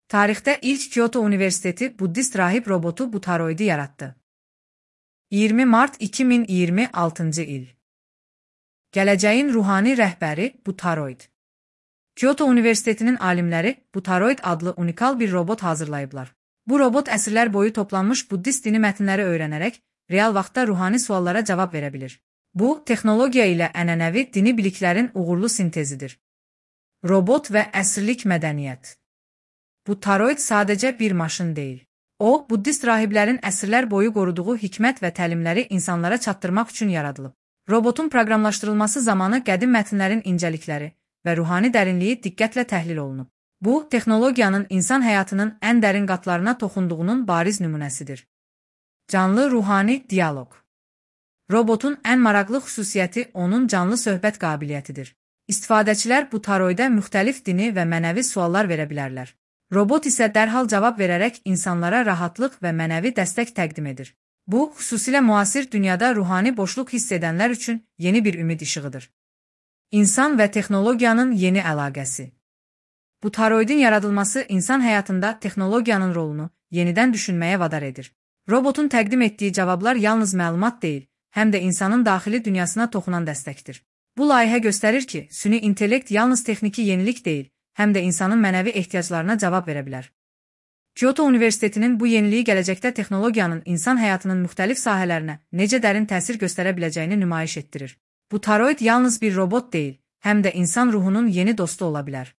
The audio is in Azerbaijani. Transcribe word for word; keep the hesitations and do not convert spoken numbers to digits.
Tarixdə ilk Kyoto Universiteti Buddist rahib robotu Butaroid'i yaratdı. iyirmi mart iki min iyirmi altıncı il. Gələcəyin ruhani rəhbəri Butaroid. Kyoto Universitetinin alimləri Butaroid adlı unikal bir robot hazırlayıblar. Bu robot əsrlər boyu toplanmış Buddist dini mətnləri öyrənərək real vaxtda ruhani suallara cavab verə bilir. Bu, texnologiya ilə ənənəvi dini biliklərin uğurlu sintezidir. Robot və əsrlik mədəniyyət. Butaroid sadəcə bir maşın deyil. O, Buddist rahiblərin əsrlər boyu qoruduğu hikmət və təlimləri insanlara çatdırmaq üçün yaradılıb. Robotun proqramlaşdırılması zamanı qədim mətnlərin incəlikləri və ruhani dərinliyi diqqətlə təhlil olunub. Bu, texnologiyanın insan həyatının ən dərin qatlarına toxunduğunun bariz nümunəsidir. Canlı ruhani dialoq. Robotun ən maraqlı xüsusiyyəti onun canlı söhbət qabiliyyətidir. İstifadəçilər Butaroid'ə müxtəlif dini və mənəvi suallar verə bilərlər. Robot isə dərhal cavab verərək insanlara rahatlıq və mənəvi dəstək təqdim edir. Bu, xüsusilə müasir dünyada ruhani boşluq hiss edənlər üçün yeni bir ümid işığıdır. İnsan və texnologiyanın yeni əlaqəsi. Butaroid'in yaradılması insan həyatında texnologiyanın rolunu yenidən düşünməyə vadar edir. Robotun təqdim etdiyi cavablar yalnız məlumat deyil, həm də insanın daxili dünyasına toxunan dəstəkdir. Bu layihə göstərir ki, süni intellekt yalnız texniki yenilik deyil, həm də insanın mənəvi ehtiyaclarına cavab verə bilər. Kyoto Universitetinin bu yeniliyi gələcəkdə texnologiyanın insan həyatının müxtəlif sahələrinə necə dərin təsir göstərə biləcəyini nümayiş etdirir. Butaroid yalnız bir robot deyil, həm də insan ruhunun yeni dostu ola bilər.